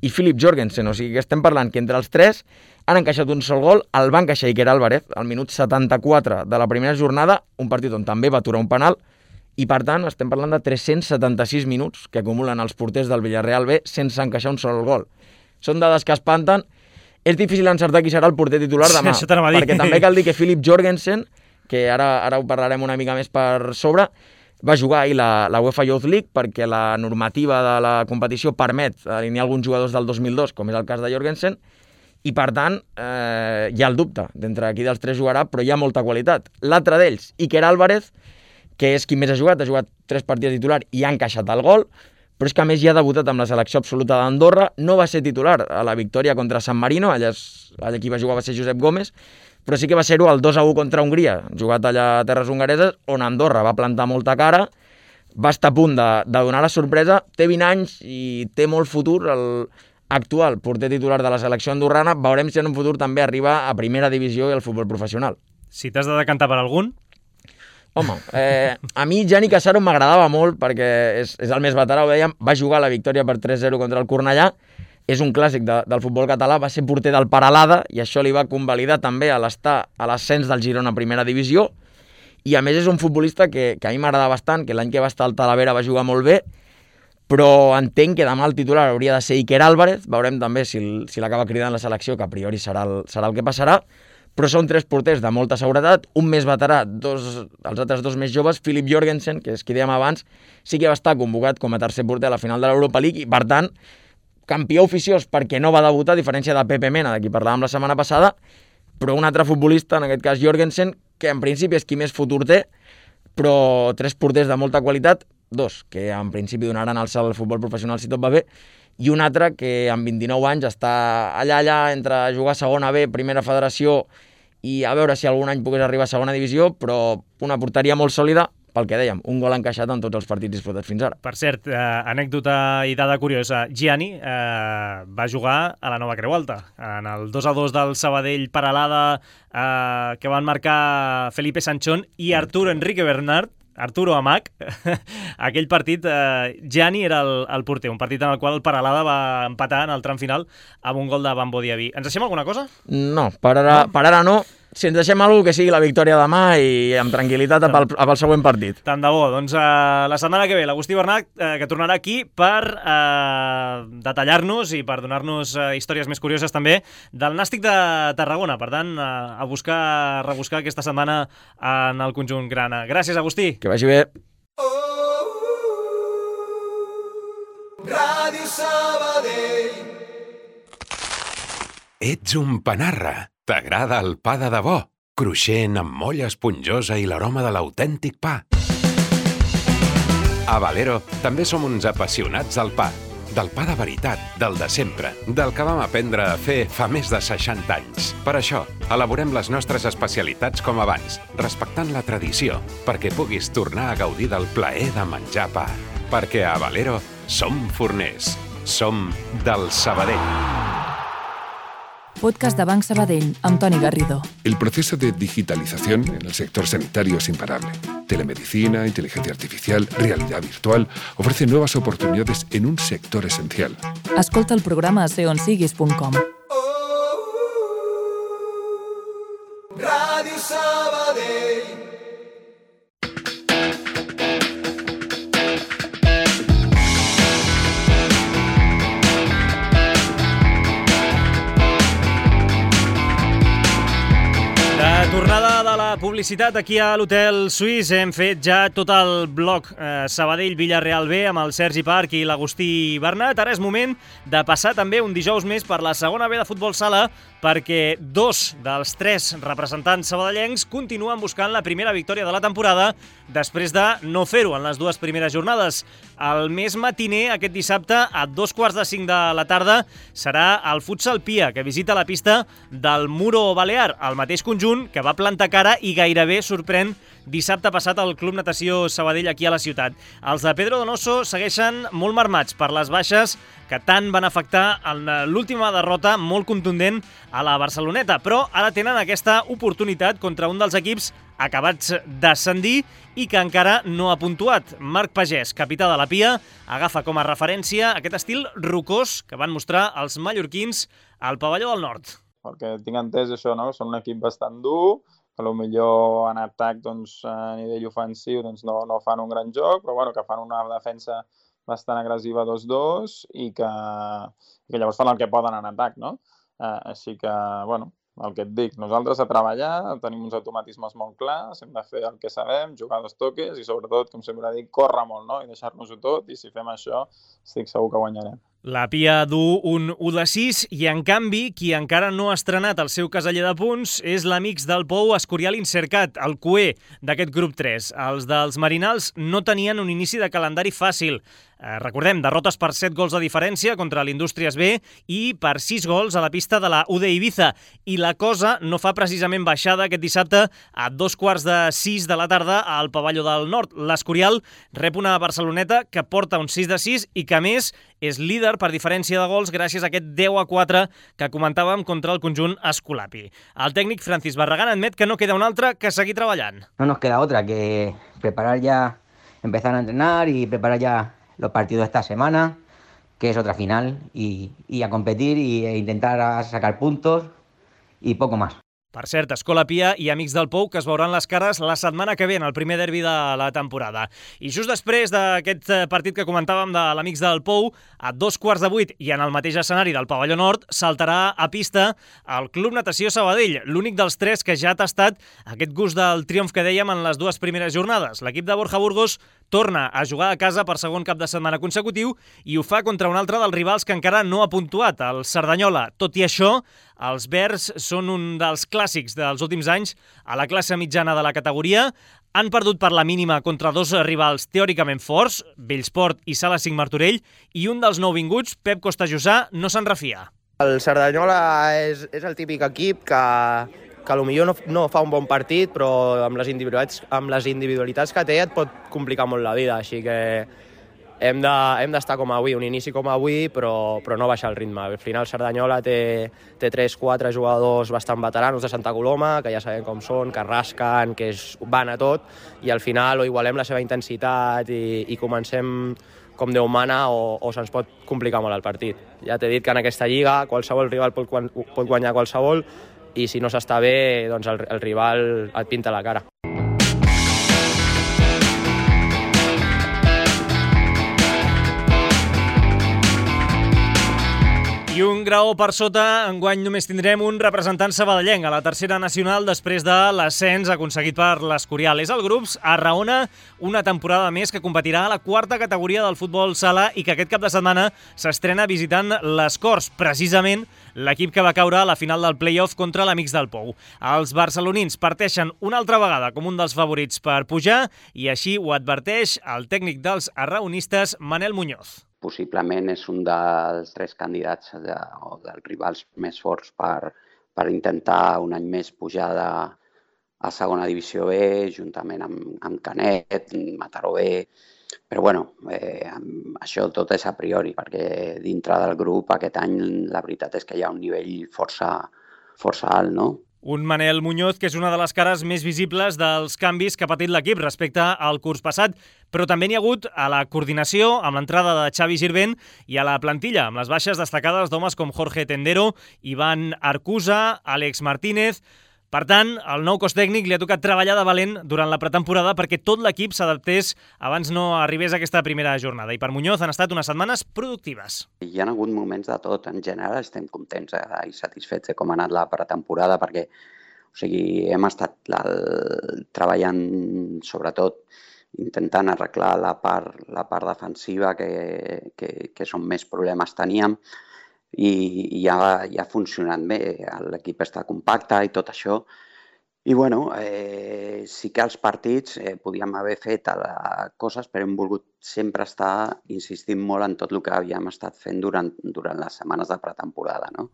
i Philip Jorgensen. O sigui que estem parlant que entre els 3 han encaixat un sol gol, el va encaixar Iker Álvarez al minut 74 de la primera jornada, un partit on també va aturar un penal, I, per tant, estem parlant de 376 minuts que acumulen els porters del Villarreal B sense encaixar un sol gol. Són dades que espanten. És difícil encertar qui serà el porter titular demà, perquè també cal dir que Philip Jorgensen, que ara ho parlarem una mica més per sobre, va jugar ahir la UEFA Youth League perquè la normativa de la competició permet alinear alguns jugadors del 2002, com és el cas de Jorgensen, i per tant hi ha el dubte d'entre qui dels tres jugarà, però hi ha molta qualitat. L'altre d'ells, Iker Álvarez, que és qui més ha jugat 3 partits titular i ha encaixat el gol, però és que a més ja ha debutat amb la selecció absoluta d'Andorra, no va ser titular a la victòria contra San Marino, allà qui va jugar va ser Josep Gómez, però sí que va ser-ho al 2-1 contra Hongria, jugat allà a terres hongareses, on Andorra va plantar molta cara, va estar a punt de donar la sorpresa, té 20 anys i té molt futur, l'actual porter titular de la selecció andorrana, veurem si en un futur també arriba a primera divisió i al futbol professional. Si t'has de decantar per algun? Home, a mi Gianni Casaro m'agradava molt perquè és el més veterà, ho dèiem, va jugar la victòria per 3-0 contra el Cornellà, és un clàssic del futbol català, va ser porter del Peralada i això li va convalidar també a l'estar a l'ascens del Girona a primera divisió i a més és un futbolista que a mi m'agrada bastant, que l'any que va estar al Talavera va jugar molt bé, però entenc que demà el titular hauria de ser Iker Álvarez, veurem també si l'acaba cridant la selecció, que a priori serà el que passarà, però són 3 porters de molta seguretat, un més veterà, els altres 2 més joves, Philip Jorgensen, que és qui dèiem abans, sí que va estar convocat com a tercer porter a la final de l'Europa League i, per tant, campió oficiós perquè no va debutar, a diferència de Pepe Mena, de qui parlàvem la setmana passada, però un altre futbolista, en aquest cas Jorgensen, que en principi és qui més futur té, però 3 porters de molta qualitat, 2 que en principi donaran el salt al futbol professional si tot va bé, i un altre que amb 29 anys està allà entre jugar a segona B, primera federació, i a veure si algun any pogués arribar a segona divisió, però una porteria molt sòlida, pel que dèiem, un gol encaixat en tots els partits disputats fins ara. Per cert, anècdota i dada curiosa, Gianni va jugar a la Nova Creu Alta, en el 2-2 del Sabadell Peralada, que van marcar Felipe Sanchón i Arturo Enrique Bernard, Arturo Amac, aquell partit, Gianni era el porter, un partit en el qual el Peralada va empatar en el tram final amb un gol de Bambo Diaby. Ens deixem alguna cosa? No, per ara no. Si ens deixem alguna que sigui la victòria demà i amb tranquil·litat pel següent partit. Tant de bo. Doncs la setmana que ve l'Agustí Bernat, que tornarà aquí per detallar-nos i per donar-nos històries més curioses també del Nàstic de Tarragona. Per tant, a rebuscar aquesta setmana en el conjunt grana. Gràcies, Agustí. Que vagi bé. Ràdio Sabadell. Ets un panarra. T'agrada el pa de debò? Cruixent, amb molla esponjosa i l'aroma de l'autèntic pa. A Valero també som uns apassionats del pa. Del pa de veritat, del de sempre, del que vam aprendre a fer fa més de 60 anys. Per això, elaborem les nostres especialitats com abans, respectant la tradició, perquè puguis tornar a gaudir del plaer de menjar pa. Perquè a Valero som forners. Som del Sabadell. Podcast de Banc Sabadell, amb Toni Garrido. El proceso de digitalización en el sector sanitario es imparable. Telemedicina, inteligencia artificial, realidad virtual ofrecen nuevas oportunidades en un sector esencial. Escolta el programa a seonsiguis.com. Ràdio Sabadell. Tornada de la publicitat aquí a l'Hotel Suís. Hem fet ja tot el bloc Sabadell-Villarreal B amb el Sergi Parc i l'Agustí Bernat. Ara és moment de passar també un dijous més per la segona B de futbol sala perquè 2 dels 3 representants sabadellencs continuen buscant la primera victòria de la temporada després de no fer-ho en les 2 primeres jornades. El més matiner aquest dissabte a 2:45 de la tarda serà el Futsal Pia, que visita la pista del Muro Balear, el mateix conjunt que va plantar cara i gairebé sorprèn dissabte passat al Club Natació Sabadell aquí a la ciutat. Els de Pedro Donoso segueixen molt marmats per les baixes que tant van afectar en l'última derrota molt contundent a la Barceloneta, però ara tenen aquesta oportunitat contra un dels equips acabats d'ascendir i que encara no ha puntuat. Marc Pagès, capità de la Pia, agafa com a referència aquest estil rocós que van mostrar els mallorquins al pavelló del Nord. El que tinc entès és això, no? Són un equip bastant dur, a lo millor en atac doncs, a nivell ofensiu doncs, no fan un gran joc, però bueno, que fan una defensa bastant agressiva 2-2 i que llavors fan el que poden en atac, no? Així que, bueno, el que et dic, nosaltres a treballar, tenim uns automatismes molt clars, hem de fer el que sabem, jugar 2 toques i sobretot, com sempre dic, córrer molt, no? I deixar-nos-ho tot, i si fem això, estic segur que guanyarem. La Pia du un 1-6 i, en canvi, qui encara no ha estrenat el seu caseller de punts és l'Amics del Pou Escorial Incercat, el cué d'aquest grup 3. Els dels Marinals no tenien un inici de calendari fàcil. Recordem, derrotes per 7 gols de diferència contra l'Indústries B i per 6 gols a la pista de la UD Ibiza. I la cosa no fa precisament baixada aquest dissabte a 5:45 de la tarda al Pavelló del Nord. L'Escorial rep una Barceloneta que porta un 6-6 i que, a més, és líder per diferència de gols gràcies a aquest 10-4 que comentàvem contra el conjunt escolapi. El tècnic Francis Barragán admet que no queda un altre que seguir treballant. No nos queda otra que preparar ya, empezar a entrenar y preparar ya los partidos de esta semana, que es otra final, y a competir e intentar sacar puntos y poco más. Per cert, Escola Pia i Amics del Pou, que es veuran les cares la setmana que ve en el primer derbi de la temporada. I just després d'aquest partit que comentàvem de l'Amics del Pou, a 7:15 i en el mateix escenari del Pavelló Nord, saltarà a pista el Club Natació Sabadell, l'únic dels 3 que ja ha tastat aquest gust del triomf que dèiem en les 2 primeres jornades. L'equip de Borja Burgos torna a jugar a casa per segon cap de setmana consecutiu i ho fa contra un altre dels rivals que encara no ha puntuat, el Cerdanyola. Tot i això, els verds són un dels clàssics dels últims anys a la classe mitjana de la categoria. Han perdut per la mínima contra 2 rivals teòricament forts, Bellsport i Sala 5 Martorell, i un dels nouvinguts, Pep Costajussà, no se'n refia. El Cerdanyola és el típic equip que potser no fa un bon partit, però amb les individualitats que té et pot complicar molt la vida, així que hem d'estar com avui, un inici com avui, però no baixar el ritme. Al final Cerdanyola té 3-4 jugadors bastant veteranos de Santa Coloma, que ja sabem com són, que rasquen, que van a tot, i al final o igualem la seva intensitat i comencem com Déu mana o se'ns pot complicar molt el partit. Ja t'he dit que en aquesta lliga qualsevol rival pot guanyar qualsevol, i si no s'està bé, doncs el rival et pinta la cara. I un graó per sota, enguany només tindrem un representant sabadellenc a la tercera nacional després de l'ascens aconseguit per l'Escorial. És el Grups Arraona, una temporada més que competirà a la 4a categoria del futbol sala i que aquest cap de setmana s'estrena visitant les Corts, precisament l'equip que va caure a la final del play-off contra l'Amics del Pou. Els barcelonins parteixen una altra vegada com un dels favorits per pujar i així ho adverteix el tècnic dels arraonistes, Manel Muñoz. Possiblement és un dels 3 candidats o dels rivals més forts per intentar un any més pujar a segona divisió B, juntament amb Canet, Mataró B. Però bueno, això tot és a priori, perquè dintre del grup aquest any la veritat és que hi ha un nivell força alt, no? Un Manel Muñoz que és una de les cares més visibles dels canvis que ha patit l'equip respecte al curs passat, però també n'hi ha hagut a la coordinació amb l'entrada de Xavi Girvent i a la plantilla, amb les baixes destacades d'homes com Jorge Tendero, Ivan Arcusa, Àlex Martínez. Per tant, al nou cos tècnic li ha tocat treballar de valent durant la pretemporada perquè tot l'equip s'adaptés abans no arribés a aquesta primera jornada. I per Muñoz han estat unes setmanes productives. Hi ha hagut moments de tot. En general estem contents i satisfets de com ha anat la pretemporada perquè hem estat treballant sobretot intentant arreglar la part defensiva que són més problemes teníem. I ja ha funcionat bé, l'equip està compacte i tot això. I bueno, sí que als partits podíem haver fet coses, però hem volgut sempre estar insistint molt en tot el que havíem estat fent durant les setmanes de pretemporada, no?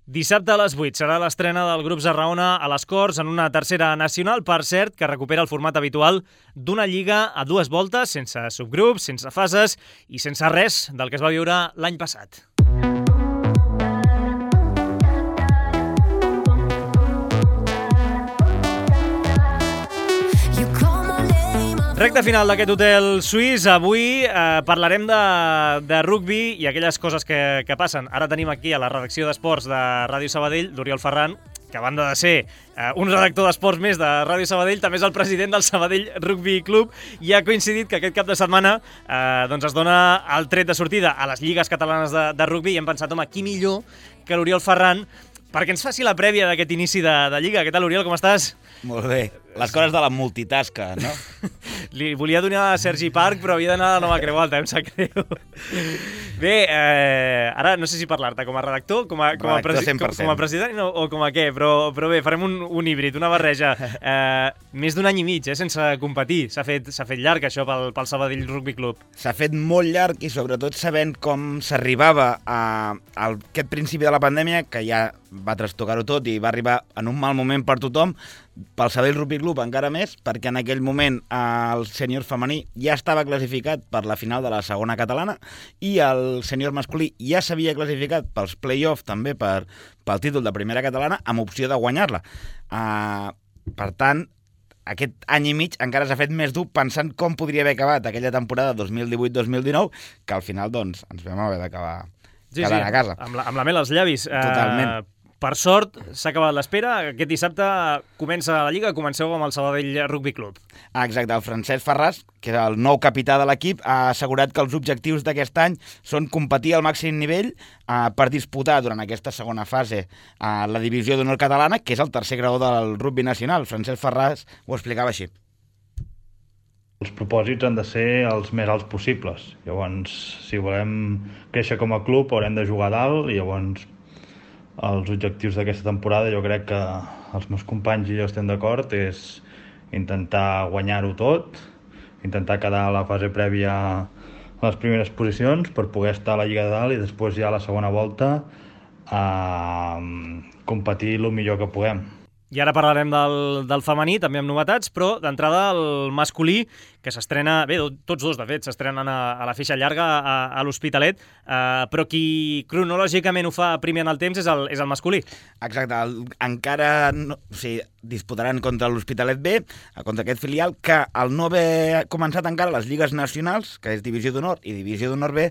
Dissabte a les 8 serà l'estrena del Grups Arraona a les Corts en una tercera nacional, per cert, que recupera el format habitual d'una lliga a 2 voltes, sense subgrups, sense fases i sense res del que es va viure l'any passat. Recte final d'aquest hotel suís. Avui parlarem de rugbi i aquelles coses que passen. Ara tenim aquí a la redacció d'Esports de Ràdio Sabadell l'Oriol Ferran, que a banda de ser un redactor d'esports més de Ràdio Sabadell, també és el president del Sabadell Rugby Club, i ha coincidit que aquest cap de setmana doncs es dona el tret de sortida a les lligues catalanes de rugby, i hem pensat, home, qui millor que l'Oriol Ferran perquè ens faci la prèvia d'aquest inici de Lliga. Què tal, Oriol, com estàs? Molt bé. Les coses de la multitasca, no? Li volia donar a Sergi Parc, però havia d'anar a la Nova Creu Alta, em sap greu. Bé, ara no sé si parlar-te com a redactor, com a president o com a què, però bé, farem un híbrid, una barreja. Més d'un any i mig, sense competir. S'ha fet llarg, això, pel Sabadell Rugby Club. S'ha fet molt llarg i sobretot sabent com s'arribava a aquest principi de la pandèmia, que ja va trastocar-ho tot i va arribar en un mal moment per tothom, pel Sabadell Rugby Club encara més, perquè en aquell moment el sènior femení ja estava classificat per la final de la segona catalana i el sènior masculí ja s'havia classificat pels play-off també pel títol de primera catalana amb opció de guanyar-la. Per tant, aquest any i mig encara s'ha fet més dur pensant com podria haver acabat aquella temporada 2018-2019, que al final doncs, ens vam haver d'acabar quedant a casa. Amb la mel als llavis. Totalment. Per sort, s'ha acabat l'espera. Aquest dissabte comença la Lliga, comenceu amb el Sabadell Rugby Club. Exacte, el Francesc Ferràs, que és el nou capità de l'equip, ha assegurat que els objectius d'aquest any són competir al màxim nivell per disputar durant aquesta segona fase la divisió d'honor catalana, que és el tercer grau del rugby nacional. Francesc Ferràs ho explicava així. Els propòsits han de ser els més alts possibles. Llavors, si volem créixer com a club, haurem de jugar a dalt, i llavors els objectius d'aquesta temporada, jo crec que els meus companys i jo estem d'acord, és intentar guanyar-ho tot, intentar quedar a la fase prèvia a les primeres posicions per poder estar a la Lliga de Dalt i després ja a la segona volta competir el millor que puguem. I ara parlarem del femení, també amb novetats, però d'entrada el masculí, que s'estrena, bé, tots dos, de fet, s'estrenen a la feixa llarga a l'Hospitalet, però qui cronològicament ho fa primer en el temps és el masculí. Exacte, encara no, disputaran contra l'Hospitalet B, contra aquest filial, que al no haver començat encara les lligues nacionals, que és Divisió d'Honor i Divisió d'Honor B,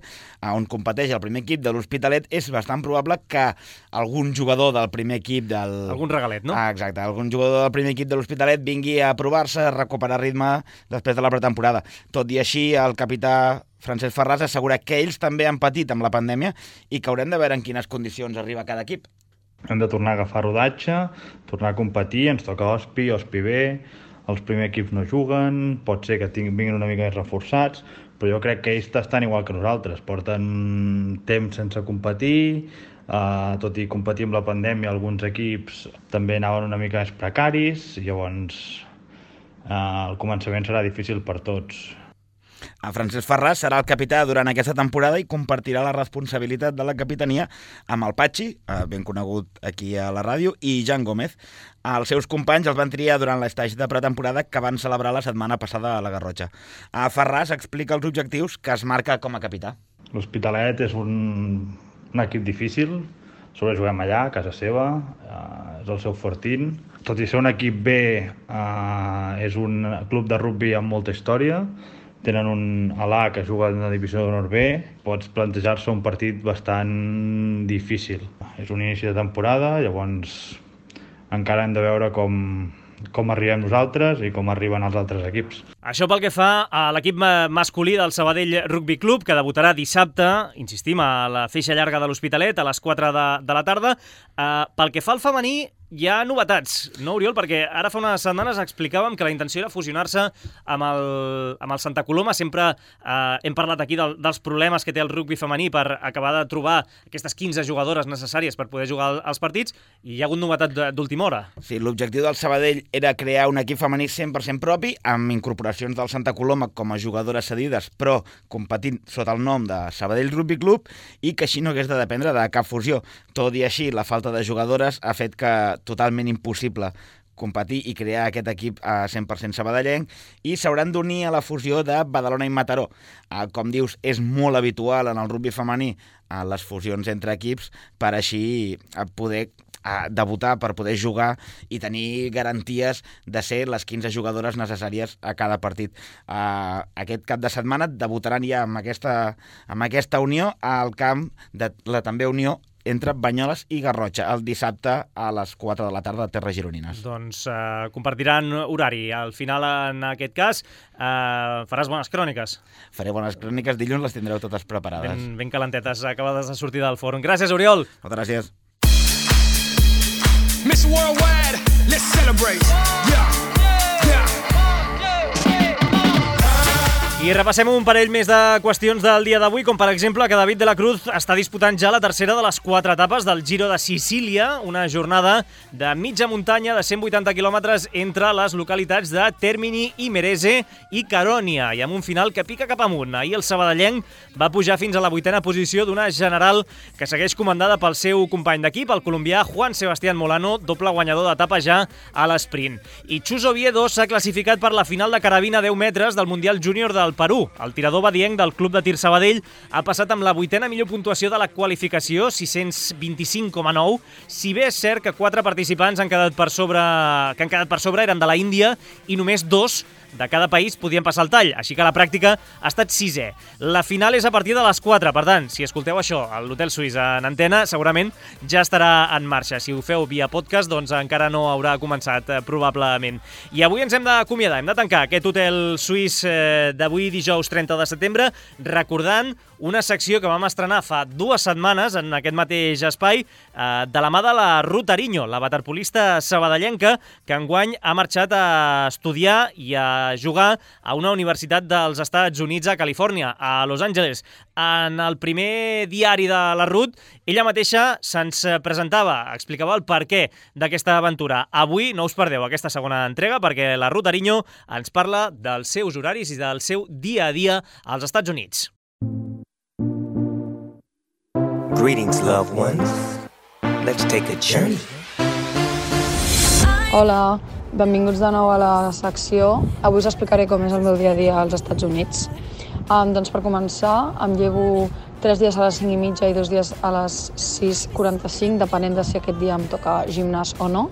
on competeix el primer equip de l'Hospitalet, és bastant probable que algun jugador del primer equip del... Algun regalet, no? Exacte, algun jugador del primer equip de l'Hospitalet vingui a provar-se, a recuperar ritme després de la pretemporada. Tot i així, el capità Francesc Ferràs assegura que ells també han patit amb la pandèmia i que haurem de veure en quines condicions arriba cada equip. Hem de tornar a agafar rodatge, tornar a competir, ens toca Ospi B, els primers equips no juguen, pot ser que vinguin una mica més reforçats, però jo crec que ells estan igual que nosaltres, porten temps sense competir, tot i competir amb la pandèmia, alguns equips també anaven una mica més precaris, i llavors el començament serà difícil per tots. Francesc Ferràs serà el capità durant aquesta temporada i compartirà la responsabilitat de la capitania amb el Patxi, ben conegut aquí a la ràdio, i Jan Gómez. Els seus companys els van triar durant l'estatge de pretemporada que van celebrar la setmana passada a la Garrotxa. Ferràs explica els objectius que es marca com a capità. L'Hospitalet és un equip difícil, sobre juguem allà, a casa seva, és el seu fortín. Tot i ser un equip B, és un club de rugby amb molta història, tenen un A que juga en la divisió d'honor B, pots plantejar-se un partit bastant difícil. És un inici de temporada, llavors encara hem de veure com arribem nosaltres i com arriben els altres equips. Això pel que fa a l'equip masculí del Sabadell Rugby Club, que debutarà dissabte, insistim, a la feixa llarga de l'Hospitalet a les 4 de la tarda. Pel que fa al femení, hi ha novetats, no, Oriol? Perquè ara fa unes setmanes explicàvem que la intenció era fusionar-se amb el Santa Coloma. Sempre hem parlat aquí dels problemes que té el rugby femení per acabar de trobar aquestes 15 jugadores necessàries per poder jugar als partits, i hi ha hagut novetat d'última hora. Sí, l'objectiu del Sabadell era crear un equip femení 100% propi, amb incorporacions del Santa Coloma com a jugadores cedides, però competint sota el nom de Sabadell Rugby Club, i que així no hagués de dependre de cap fusió. Tot i així, la falta de jugadores ha fet que totalment impossible competir i crear aquest equip a 100% sabadellenc, i s'hauran d'unir a la fusió de Badalona i Mataró. Com dius, és molt habitual en el rugby femení les fusions entre equips per així poder debutar, per poder jugar i tenir garanties de ser les 15 jugadores necessàries a cada partit. Aquest cap de setmana debutaran ja amb aquesta unió al camp de la també unió entre Banyoles i Garrotxa, el dissabte a les 4 de la tarda a Terres Gironines. Doncs compartiran horari. Al final, en aquest cas, faràs bones cròniques. Faré bones cròniques, dilluns les tindreu totes preparades. Ben calentetes, acabades de sortir del forn. Gràcies, Oriol. Moltes gràcies. Miss Worldwide, let's celebrate. Yeah. I repassem un parell més de qüestions del dia d'avui, com per exemple que David de la Cruz està disputant ja la tercera de les 4 etapes del Giro de Sicília, una jornada de mitja muntanya de 180 quilòmetres entre les localitats de Termini, Imerese i Caronia, i amb un final que pica cap amunt. Ahir el sabadellenc va pujar fins a la 8a posició d'una general que segueix comandada pel seu company d'equip, el colombià Juan Sebastián Molano, doble guanyador d'etapa ja a l'esprint. I Chus Oviedo s'ha classificat per la final de carabina 10 metres del Mundial Júnior del Perú. El tirador badienc del Club de Tir Sabadell ha passat amb la 8a millor puntuació de la qualificació, 625,9, si bé és cert que 4 participants han quedat per sobre eren de la Índia i només 2 de cada país podien passar el tall, així que la pràctica ha estat 6è. La final és a partir de les 4, per tant, si escolteu això a l'Hotel Suís en antena, segurament ja estarà en marxa. Si ho feu via podcast, doncs encara no haurà començat, probablement. I avui ens hem d'acomiadar, hem de tancar aquest Hotel Suís d'avui, dijous 30 de setembre, recordant una secció que vam estrenar fa 2 setmanes en aquest mateix espai, de la mà de la Ruth Ariño, la waterpolista sabadellenca, que enguany ha marxat a estudiar i a jugar a una universitat dels Estats Units a Califòrnia, a Los Angeles. En el primer diari de la Ruth, ella mateixa se'ns presentava, explicava el perquè d'aquesta aventura. Avui no us perdeu aquesta segona entrega perquè la Ruth Ariño ens parla dels seus horaris i del seu dia a dia als Estats Units. Greetings, loved ones. Let's take a journey. Hola, benvinguts de nou a la secció. Avui us explicaré com és el meu dia a dia als Estats Units. Doncs per començar, em llevo 3 dies a les 5:30 i 2 dies a les 6:45, depenent de si aquest dia em toca gimnàs o no.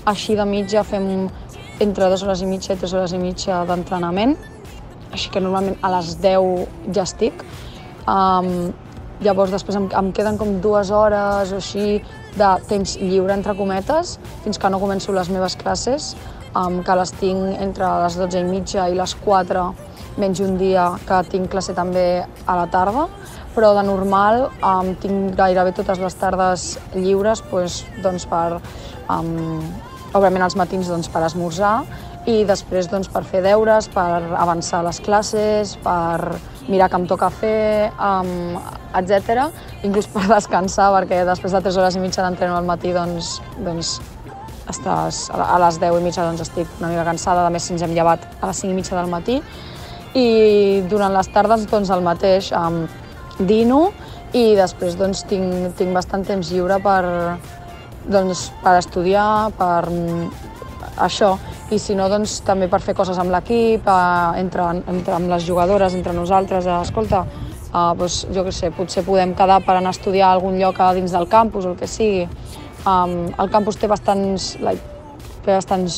Així de mitja fem entre 2 hores i mitja i 3 hores i mitja d'entrenament, així que normalment a les 10 ja estic. Llavors després em queden com 2 hores o així de temps lliure, entre cometes, fins que no començo les meves classes, que les tinc entre les 12:30 i les 4, menys un dia que tinc classe també a la tarda, però de normal tinc gairebé totes les tardes lliures per, òbviament els matins per esmorzar i després per fer deures, per avançar les classes, per mirar què em toca fer, etc. Inclús per descansar, perquè després de 3 hores i mitja d'entreno al matí, estàs a les 10 i mitja estic una mica cansada, a més si ens hem llevat a les 5 i mitja del matí. I durant les tardes el mateix, dino i després tinc bastant temps lliure per estudiar, per això. I si no, també per fer coses amb l'equip, amb les jugadores, entre nosaltres. Escolta, jo què sé, potser podem quedar per anar a estudiar a algun lloc dins del campus o el que sigui. El campus té bastants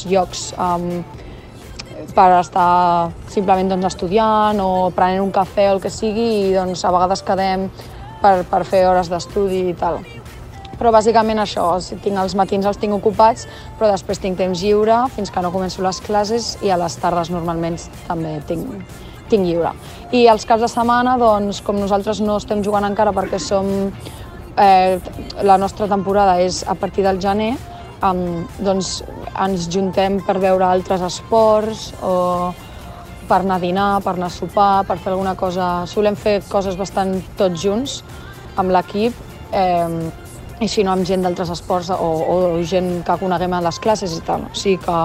llocs per estar simplement estudiant o prenent un cafè o el que sigui i a vegades quedem per fer hores d'estudi i tal. Però bàsicament això, els matins els tinc ocupats, però després tinc temps lliure fins que no començo les classes i a les tardes normalment també tinc lliure. I els caps de setmana, com nosaltres no estem jugant encara perquè la nostra temporada és a partir del gener, ens juntem per veure altres esports o per anar a dinar, per anar a sopar, per fer alguna cosa. Solem fer coses bastant tots junts amb l'equip, i si no amb gent d'altres esports o gent que coneguem a les classes i tal. O sigui que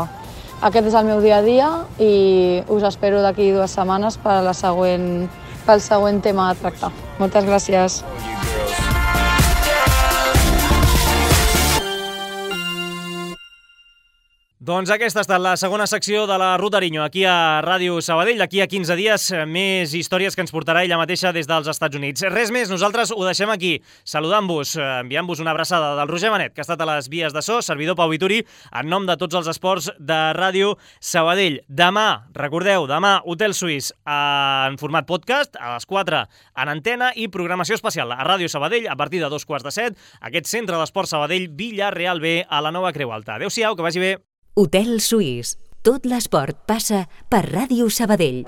aquest és el meu dia a dia i us espero d'aquí 2 setmanes pel següent tema a tractar. Moltes gràcies. Doncs aquesta ha estat la segona secció de la Ruta Ariño aquí a Ràdio Sabadell. D'aquí a 15 dies, més històries que ens portarà ella mateixa des dels Estats Units. Res més, nosaltres ho deixem aquí, saludant-vos, enviant-vos una abraçada del Roger Manet, que ha estat a les vies de so, servidor Pau Vituri, en nom de tots els esports de Ràdio Sabadell. Demà, recordeu, demà Hotel Suís en format podcast, a les 4 en antena i programació especial a Ràdio Sabadell a partir de 2:15, aquest centre d'esport Sabadell, Villarreal B, a la Nova Creu Alta. Adéu-siau, que vagi bé. Hotel Suís. Tot l'esport passa per Ràdio Sabadell.